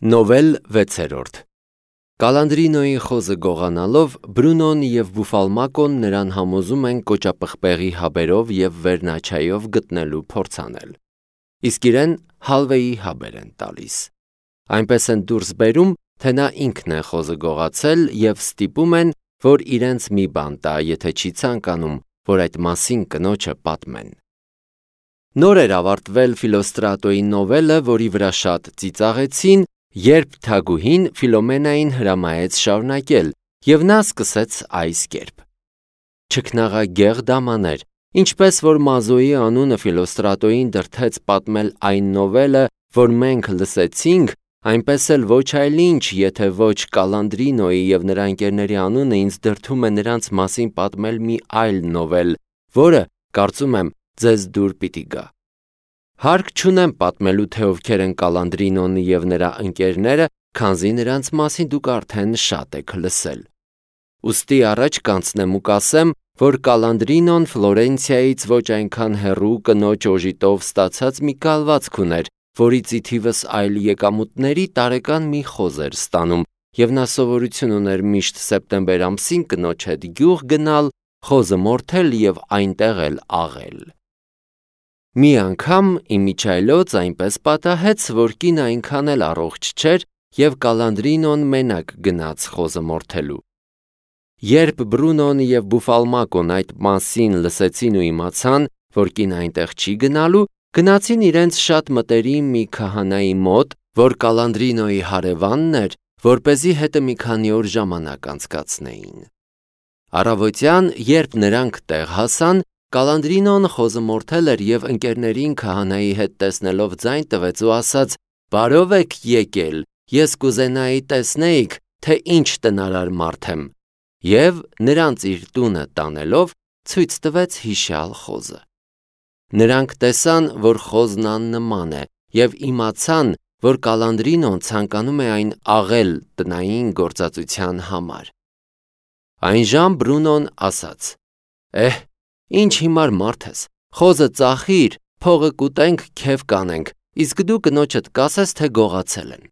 Նովել 6 Կալանդրինոյի խոզը գողանալով Բրունոն և Բուֆալմակոն նրան համոզում են կոճապղպեղի հաբերով և վերնաչայով գտնելու փորձ անել, իսկ իրեն հալվեի հաբեր են տալիս, այնպես են դուրս բերում, թե նա ինքն է խոզը գողացել և ստիպում են, որ իրենց մի բան տա, եթե չի ցանկանում, որ այդ մասին կնոջը պատմեն։ Նոր էր ավարտվել Ֆիլոստրատոյի նովելը, որի վրա շատ ծիծաղեցին, երբ թագուհին Ֆիլոմենային հրամայեց շարունակել, և նա սկսեց այս կերպ. Չքնաղագեղ դամաներ, ինչպես որ Մազոյի անունը Ֆիլոստրատոյին դրդեց պատմել այն նովելը, որ մենք լսեցինք, այնպես էլ ոչ այլ ինչ, եթե ոչ Կալանդրինոյի և նրա ընկերների անունը ինձ դրդում է նրանց մասին պատմել մի այլ նովել, որը, կարծում եմ, ձեզ դուր պիտի գա։ Հարկ չունեմ պատմելու, թե ովքեր են Կալանդրինոն և նրա ընկերները, քանզի նրանց մասին դուք արդեն շատ եք լսել։ Ուստի առաջ կանցնեմ ու կասեմ, որ Կալանդրինոն Ֆլորենցիայից ոչ այնքան հեռու կնոջ օժիտով ստացած մի կալվածք ուներ, որից ի թիվս այլ եկամուտների տարեկան մի խոզ էր ստանում, և նա սովորություն ուներ միշտ սեպտեմբեր ամսին կնոջ հետ գյուղ գնալ, խոզը մորթել և այնտեղ էլ աղել։ Մի անգամ իմիջիայլոց այնպես պատահեց, որ կինը այնքան էլ առողջ չէր, և Կալանդրինոն մենակ գնաց խոզը մորթելու։ Երբ Բրունոն և Բուֆալմակոն այդ մասին լսեցին ու իմացան, որ կինը այնտեղ չի գնալու, գնացին իրենց շատ մտերիմ մի քահանայի մոտ, որ Կալանդրինոյի հարևանն էր, որպեսզի հետը մի քանի օր ժամանակ անցկացնեին։ Առավոտյան, երբ նրանք տեղ հասան, Կալանդրինոն խոզը մորթել էր և ընկերներին քահանայի հետ տեսնելով ձայն տվեց ու ասաց. «Բարով եք եկել, ես կուզենայի տեսնեիք, թե ինչ տնարար մարդ եմ», և նրանց իր տունը տանելով ցույց տվեց հիշյալ խոզը։ Նրանք տեսան, որ խոզն աննման է, և իմացան, որ Կալանդրինոն ցանկանում է այն աղել տնային գործածության համար։ Այնժամ Բրունոն ասաց. «Ինչ հիմար մարդ ես, խոզը ծախիր, փողը կուտենք, քեֆ կանենք, իսկ դու կնոջդ կասես, թե գողացել են»։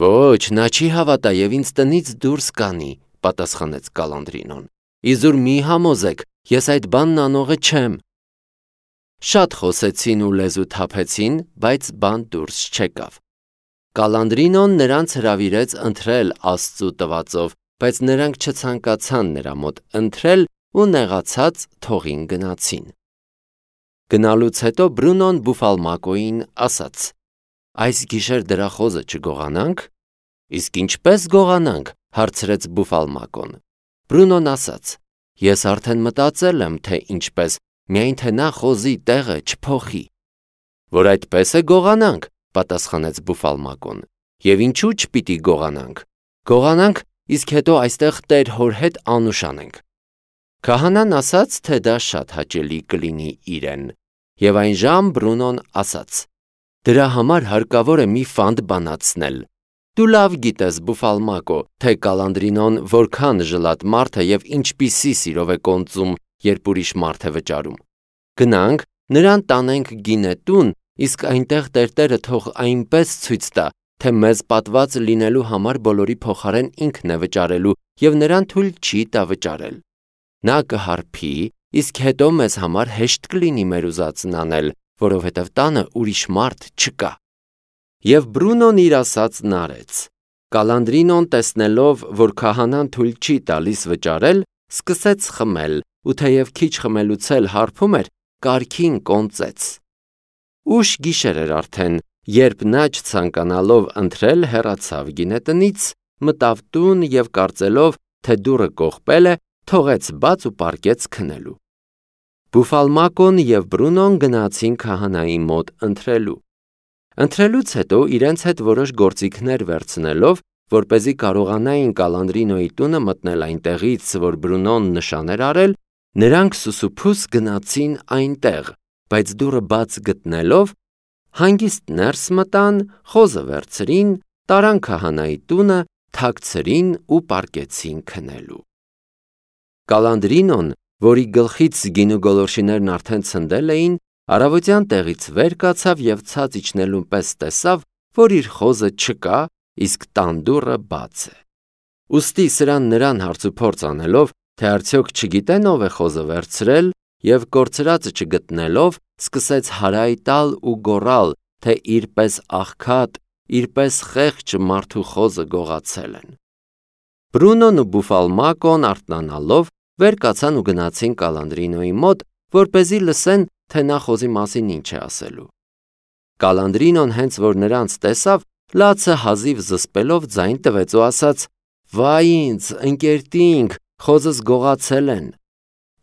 «Ոչ, նա չի հավատա և ինձ տնից դուրս կանի», պատասխանեց Կալանդրինոն։ «Իզուր մի համոզեք, ես այդ բանն անողը չեմ»։ Շատ խոսեցին ու լեզու թափեցին, բայց բան դուրս չեկավ։ Կալանդրինոն նրանց հրավիրեց ընթրել Աստծու տվածով, բայց նրանք չցանկացան նրա մոտ ընթրել ու նեղացած թողին գնացին։ Գնալուց հետո Բրունոն Բուֆալմակոյին ասաց. «Այս գիշեր դրա խոզը չգողանանք»։ «Իսկ ինչպես գողանանք», հարցրեց Բուֆալմակոն։ Բրունոն ասաց. «Ես արդեն մտածել եմ, թե ինչպես, միայն թե նա խոզի տեղը չփոխի»։ «Որ այդպես է գողանանք», պատասխանեց Բուֆալմակոն։ «Եվ ինչու չպիտի գողանանք։ Գողանանք, իսկ հետո այստեղ Տեր Հոր հետ անուշ անենք»։ Քահանան ասաց, թե դա շատ հաճելի կլինի իրեն, և այնժամ Բրունոն ասաց. «Դրա համար հարկավոր է մի ֆանտ բանացնել։ Դու լավ գիտես, Բուֆալմակո, թե Կալանդրինոն որքան ժլատ մարդ է և ինչպիսի սիրով է կոնծում, երբ ուրիշ մարդ է վճարում։ Գնանք, նրան տանենք գինետուն, իսկ այնտեղ տերտերը թող այնպես ցույց տա, թե մեզ պատված լինելու համար բոլորի փոխարեն ինքն է վճարելու և նրան թույլ չի տա վճարել։ Նա կհարբի, իսկ հետո մեզ համար հեշտ կլինի մեր ուզածն անել, որովհետև տանը ուրիշ մարդ չկա»։ Եվ Բրունոն իր ասածն արեց։ Կալանդրինոն տեսնելով, որ քահանան թույլ չի տալիս վճարել, սկսեց խմել, ու թեև քիչ խմելուց էլ հարբում էր, կարգին կոնծեց։ Ուշ գիշեր էր արդեն, երբ նա չցանկանալով ընթրել հեռացավ գինետնից, մտավ տուն և կարծելով, թե դուռը կողպել է, թողեց բաց ու պառկեց քնելու։ Բուֆալմակոն և Բրունոն գնացին քահանայի մոտ ընթրելու։ Ընթրելուց հետո իրենց հետ որոշ գործիքներ վերցնելով, որպեսզի կարողանային Կալանդրինոյի տունը մտնել այնտեղից, որ Բրունոն նշան էր արել, նրանք սուսուփուս գնացին այնտեղ, բայց դուռը բաց գտնելով, հանգիստ ներս մտան, խոզը վերցրին, տարան քահանայի տունը, թաքցրին ու պառկեցին քնելու։ Կալանդրինոն, որի գլխից գինու գոլորշիներն արդեն ցնդել էին, առավոտյան տեղից վեր կացավ և ցած իջնելուն պես տեսավ, որ իր խոզը չկա իսկ տան դուռը բաց է։ Ուստի սրան նրան հարցուփորձ անելով, թե արդյոք չգիտեն ով է խոզը վերցրել, եւ կորցրածը չգտնելով, սկսեց հարայ տալ ու գոռալ, թե իրպես աղքատ, իրպես խեղճ մարդու խոզը գողացել են։ Բրունոն ու Բուֆալմակոն արթնանալով վեր կացան ու գնացին Կալանդրինոյի մոտ, որպեսզի լսեն, թե նա խոզի մասին ինչ է ասելու։ Կալանդրինոն հենց որ նրանց տեսավ, լացը հազիվ զսպելով ձայն տվեց ու ասաց. «Վայ ինձ, ընկերտինք, խոզս գողացել են»։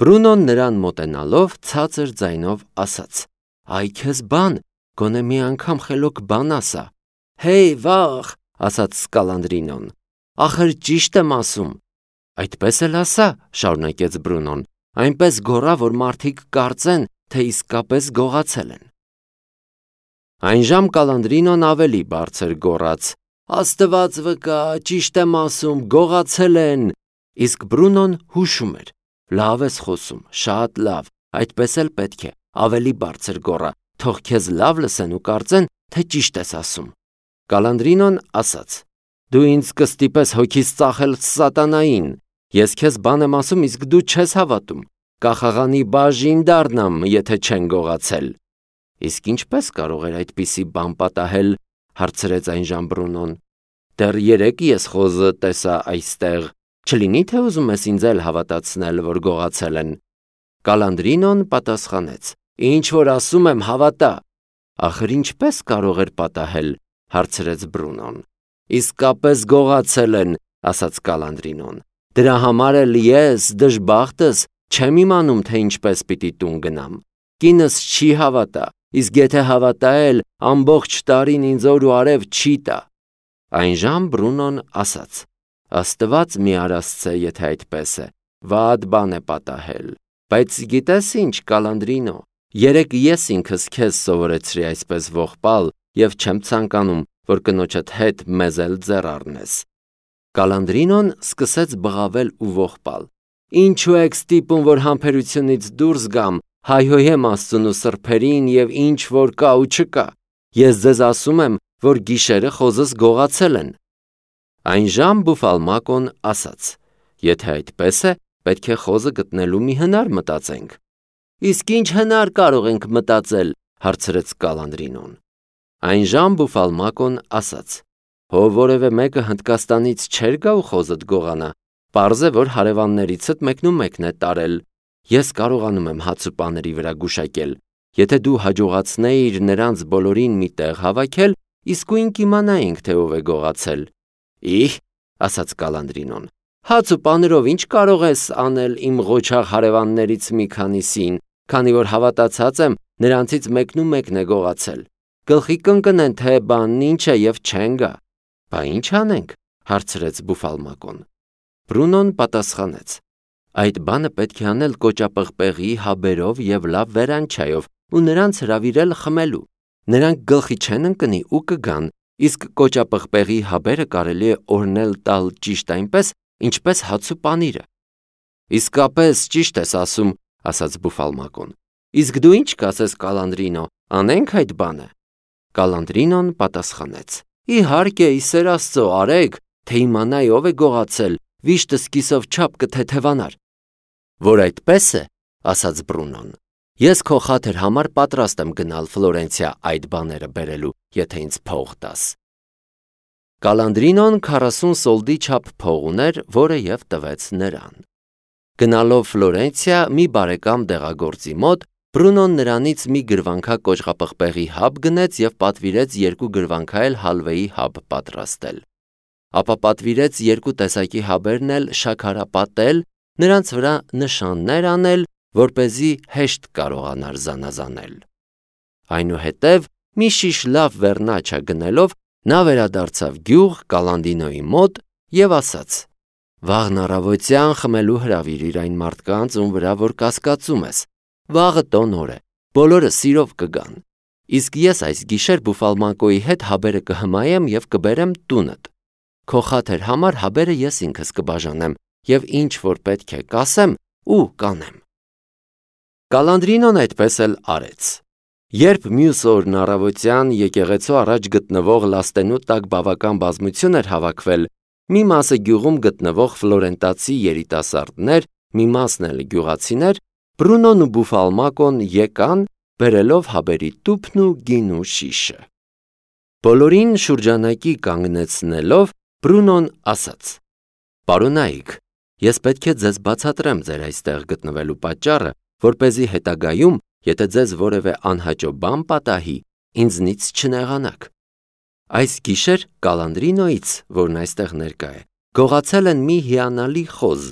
Բրունոն նրան մոտենալով ցածր ձայնով ասաց. «Այ քեզ բան, գոնե մի անգամ խելոք բան ասա»։ «Հեյ, վաղ», ասաց Կալանդրինոն, «ախր ճիշտ եմ ասում»։ «Այդպես էլ ասա», շարունակեց Բրունոն, «այնպես գոռա, որ մարդիկ կարծեն, թե իսկապես գողացել են»։ Այնժամ Կալանդրինոն ավելի բարձր գոռաց. «Աստված վկա, ճիշտ եմ ասում, գողացել են»։ Իսկ Բրունոն հուշում էր. «Լավ ես խոսում, շատ լավ, այդպես էլ պետք է, ավելի բարձր գոռա, թող քեզ լավ լսեն ու կարծեն, թե ճիշտ ես ասում»։ Կալանդրինոն ասաց. «Դու ինձ կստիպես հոգիս ծախել սատանային, ես քեզ բան եմ ասում, իսկ դու չես հավատում, կախաղանի բաժին դառնամ, եթե չեն գողացել»։ «Իսկ ինչպես կարող էր այդպիսի բան պատահել», հարցրեց այնժամ Բրունոն։ «Դեռ երեկ ես խոզը տեսա այստեղ, չլինի թե ուզում ես ինձ էլ հավատացնել, որ գողացել են»։ Կալանդրինոն պատասխանեց. «Ինչ որ ասում եմ, հավատա»։ «Ախր ինչպես կարող էր պատահել», հարցրեց Բրունոն։ «Իսկապես գողացել են», ասաց Կալանդրինոն։ «Դրա համար էլ ես, դժբախտս, չեմ իմանում, թե ինչպես պիտի տուն գնամ։ Կինս չի հավատա, իսկ եթե հավատա էլ, ամբողջ տարին ինձ օր ու արև չի տա»։ Այնժամ Բրունոն ասաց. «Աստված մի արասցե, եթե այդպես է, վատ բան է պատահել։ Բայց գիտես ինչ, Կալանդրինո, երեկ ես ինքս քեզ սովորեցրի այսպես ողբալ եւ չեմ ցանկանում, որ կնոջդ հետ մեզ էլ ձեռ առնես»։ Կալանդրինոն սկսեց բղավել ու ողբալ. «Ինչու եք ստիպում, որ համբերությունից դուրս գամ, հայհոյեմ Աստծուն ու սրբերին եւ ինչ որ կա ու չկա։ Ես ձեզ ասում եմ, որ գիշերը խոզս գողացել են»։ Այնժամ Բուֆալմակոն ասաց. «Եթե այդպես է, պետք է խոզը գտնելու մի հնար մտածենք»։ «Իսկ ինչ հնար կարող ենք մտածել», հարցրեց Կալանդրինոն։ Այնժամ Բուֆալմակոն ասաց. «Հո որևէ մեկը Հնդկաստանից չէր գա ու խոզդ գողանա, պարզ է, որ հարևաններիցդ մեկն է տարել։ Ես կարողանում եմ հաց ու պաների վրա գուշակել։ Եթե դու հաջողացնեիր նրանց բոլորին մի տեղ հավաքել, իսկույն կիմանայինք, թե ով է գողացել»։ «Իհ», ասաց Կալանդրինոն, «հաց ու պաներով ինչ կարող ես անել իմ ղոչաղ հարևաններից մի քանիսին, քանի որ հավատացած եմ, նրանցից մեկն է գողացել։ Գլխի կընկնեն, թե բանն ինչ է եւ չեն գա»։ «Բա ինչ անենք», հարցրեց Բուֆալմակոն։ Բրունոն պատասխանեց. «Այդ բանը պետք է անել կոճապղպեղի հաբերով եւ լավ վերանչայով ու նրանց հրավիրել խմելու։ Նրանք գլխի չեն ընկնի ու կգան, իսկ կոճապղպեղի հաբերը կարելի է օրնել տալ ճիշտ այնպես, ինչպես հաց ու պանիրը»։ «Իսկապես ճիշտ ես ասում», ասաց Բուֆալմակոն։ «Իսկ դու ինչ կասես, Կալանդրինո, անենք այդ բանը»։ Կալանդրինոն պատասխանեց. «Իհարկե, ի սեր Աստծո, արեք, թե իմանայի ով է գողացել, վիշտը սկիսով չափ կթեթևանար»։ «Որ այդպես է», ասաց Բրունոն, «ես քո խաթր համար պատրաստ եմ գնալ Ֆլորենցիա այդ բաները բերելու, եթե ինձ փող տաս»։ Կալանդրինոն 40 սոլդի չափ փող ուներ, որը եւ տվեց նրան։ Գնալով Ֆլորենցիա մի բարեկամ դեղագործի մոտ, Բրունոն նրանից մի գրվանքա կոճղապղպեղի հաբ գնեց եւ պատվիրեց 2 գրվանքա էլ հալվեի հաբ պատրաստել։ Ապա պատվիրեց 2 տեսակի հաբերն էլ շաքարապատել, նրանց վրա նշաններ անել, որպեսզի հեշտ կարողանար զանազանել։ Այնուհետև մի շիշ լավ վերնաչա գնելով, նա վերադարձավ գյուղ Կալանդինոյի մոտ եւ ասաց. «Վաղն առավոտյան խմելու հրավիրիր այն մարդկանց, ում վրա որ կասկածում ես։ Վաղը տոն օր է, բոլորը սիրով կգան։ Իսկ ես այս գիշեր Բուֆալմակոյի հետ հաբերը կհմայեմ եւ կբերեմ տունդ։ Քո խաթր համար հաբերը ես ինքս կբաժանեմ եւ ինչ որ պետք է կասեմ ու կանեմ»։ Կալանդրինոն այդպես էլ արեց։ Երբ մյուս օրն առավոտյան եկեղեցու առաջ գտնվող լաստենու տակ բավական բազմություն էր հավաքվել, մի մասը գյուղում գտնվող ֆլորենտացի երիտասարդներ, մի մասն էլ գյուղացիներ, Բրունոն ու Բուֆալմակոն եկան, բերելով հաբերի տուփն ու գինու շիշը։ Բոլորին շուրջանակի կանգնեցնելով, Բրունոն ասաց. «Պարոնայք, ես պետք է ձեզ բացատրեմ ձեր այստեղ գտնվելու պատճառը, որպեսզի հետագայում, եթե ձեզ որևէ անհաճո բան պատահի, ինձնից չնեղանաք։ Այս գիշեր Կալանդրինոից, որն այստեղ ներկա է, գողացել են մի հիանալի խոզ,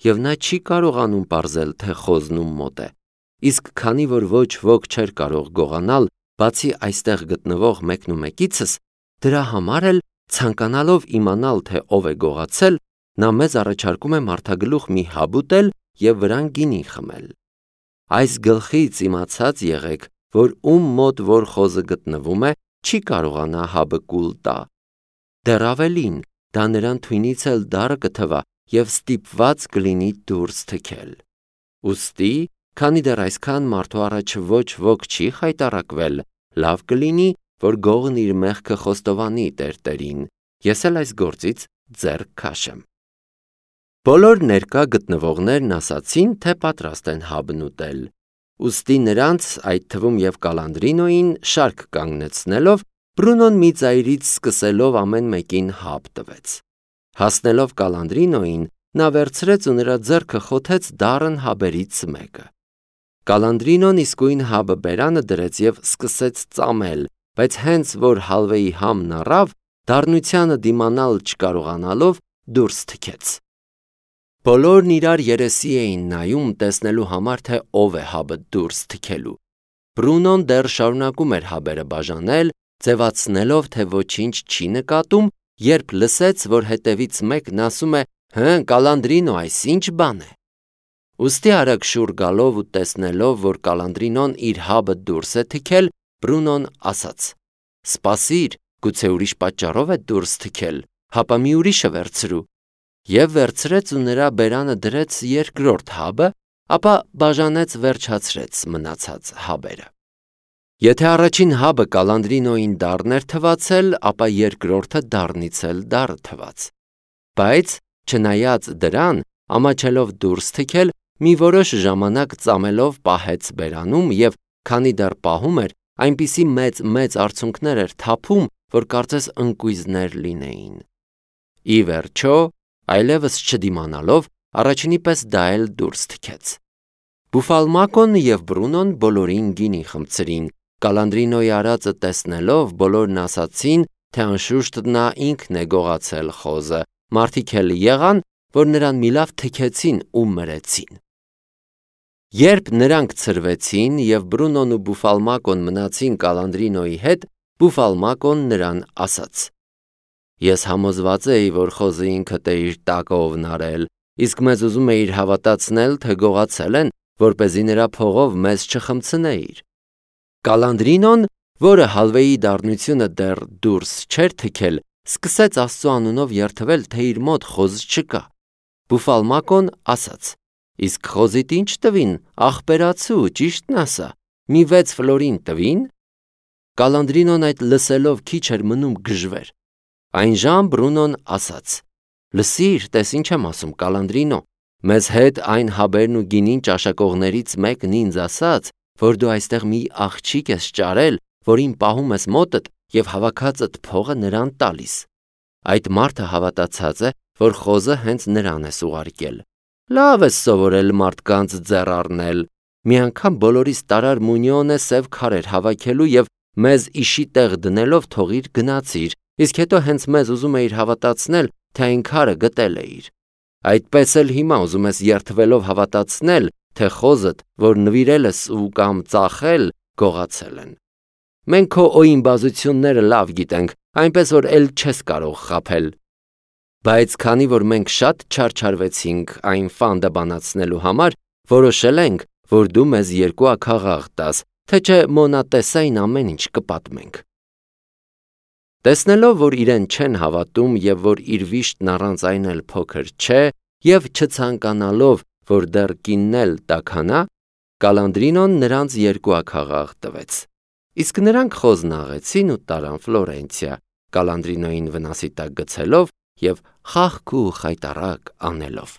եւ նա չի կարողանում պարզել, թե խոզն ում մոտ է, իսկ քանի որ ոչ ոք չէր կարող գողանալ, բացի այստեղ գտնվող մեկնումեկիցս, դրա համար էլ, ցանկանալով իմանալ, թե ով է գողացել, նա մեզ առաջարկում է մարդագլուխ մի հաբ ուտել եւ վրան գինի խմել։ Այս գլխից իմացած եղեք, որ ում մոտ որ խոզը գտնվում է, չի կարողանա հաբը կուլ տա։ Դեռ ավելին, դա նրան թույնից էլ դառը կթվա եւ ստիպված կլինի դուրս թքել։ Ուստի, քանի դեռ այսքան մարդու առաջ ոչ ոք չի խայտառակվել, լավ կլինի, որ գողն իր մեղքը խոստովանի տերտերին, ես էլ այս գործից ձեռք քաշեմ։ Բոլոր ներկա գտնվողներն ասացին, թե պատրաստ են հաբն ուտել։ Ուստի նրանց, այդ թվում եւ Կալանդրինոին, շարք կանգնեցնելով, Բրունոն մի ծայրից սկսելով ամեն մեկին հաբ տվեց։ Հասնելով Կալանդրինոին, նա վերցրեց ու նրա ձեռքը խոթեց դառն հաբերից մեկը։ Կալանդրինոն իսկույն հաբը բերանը դրեց եւ սկսեց ծամել, բայց հենց որ հալվեի համն առավ, դառնությանը դիմանալ չկարողանալով դուրս թքեց։ Բոլորն իրար երեսի էին նայում տեսնելու համար, թե ով է հաբը դուրս թքելու։ Բրունոն դեռ շարունակում էր հաբերը բաժանել, ձևացնելով, թե ոչինչ չի նկատում, երբ լսեց, որ հետևից մեկն ասում է. «Հը, Կալանդրինո, այս ինչ բան է»։ Ուստի արագ շուռ գալով ու տեսնելով, որ Կալանդրինոն իր հաբը դուրս է թքել, Բրունոն ասաց. «Սպասիր, գուցե ուրիշ պատճառով է դուրս թքել, հապա մի ուրիշը վերցրու»։ Եվ վերցրեց ու նրա բերանը դրեց երկրորդ հաբը, ապա բաժանեց վերջացրեց մնացած հաբերը։ Եթե առաջին հաբը Կալանդրինոին դառն էր թվացել, ապա երկրորդը դառնից էլ դառը թված։ Բայց, չնայած դրան, ամաչելով դուրս թքել, մի որոշ ժամանակ ծամելով պահեց բերանում եւ քանի դեռ պահում էր, այնպիսի մեծ արցունքներ էր թափում, որ կարծես ընկույզներ լինեին։ Ի վերջո, այլևս չդիմանալով, առաջինի պես դա էլ դուրս թքեց։ Բուֆալմակոն եւ Բրունոն բոլորին գինի խմցրին, Կալանդրինոյի արածը տեսնելով, բոլորն ասացին, թե անշուշտ նա ինքն է գողացել խոզը, մարդիկ էլ եղան, որ նրան մի լավ թքեցին ու մրեցին։ Երբ նրանք ցրվեցին եւ Բրունոն ու Բուֆալմակոն մնացին Կալանդրինոյի հետ, Բուֆալմակոն նրան ասաց. «Ես համոզված էի, որ խոզը ինքդ է իր տակը ovնարել, իսկ մեզ ուզում էիր հավատացնել, թե գողացել են, որպեսզի նրա փողով մեզ չխմցնեիր»։ Կալանդրինոն, որը հալվեի դառնությունը դեռ դուրս չէր թքել, սկսեց Աստծո անունով երդվել, թե իր մոտ խոզ չկա։ Բուֆալմակոն ասաց. «Իսկ խոզիդ ինչ տվին, ախպերացու, ճիշտն ասա, մի 6 ֆլորին տվին»։ Կալանդրինոն այդ լսելով քիչ էր մնում գժվեր։ Այնժամ Բրունոն ասաց. «Լսիր, տես ինչ եմ ասում, Կալանդրինո, մեզ հետ այն հաբերն ու գինին ճաշակողներից մեկն ինձ ասաց, որ դու այստեղ մի աղջիկ ես ճարել, որին պահում ես մոտդ եւ հավաքածդ փողը նրան տալիս։ Այդ մարդը հավատացած է, որ խոզը հենց նրան ես ուղարկել։ Լավ ես սովորել մարդկանց ձեռ առնել։ Մի անգամ բոլորիս տարար մունյոնը սև քարեր հավաքելու եւ մեզ իշի տեղ դնելով թողիր գնացիր, իսկ հետո հենց մեզ ուզում էիր հավատացնել, թե այն քարը գտել էիր։ Այդպես էլ հիմա ուզում ես երդվելով հավատացնել, թե խոզդ, որ նվիրել ես ու կամ ծախել, գողացել են։ Մենք քո օիմբազությունները լավ գիտենք, այնպես որ էլ չես կարող խաբել։ Բայց քանի որ մենք շատ չարչարվեցինք այն ֆանդը բանացնելու համար, որոշել ենք, որ դու մեզ 2 աքաղաղ տաս, թե չէ մոնատեսային ամեն ինչ կպատմենք։ Տեսնելով, որ իրեն չեն հավատում եւ որ իր վիշտն առանց այն էլ փոքր չէ, եւ չցանկանալով, որ դեռ կինն էլ տաքանա, Կալանդրինոն նրանց 2 աքաղաղ տվեց։ Իսկ նրանք խոզն աղեցին ու տարան Ֆլորենցիա, Կալանդրինոյին վնասի տակ գցելով և խաղք ու խայտառակ անելով։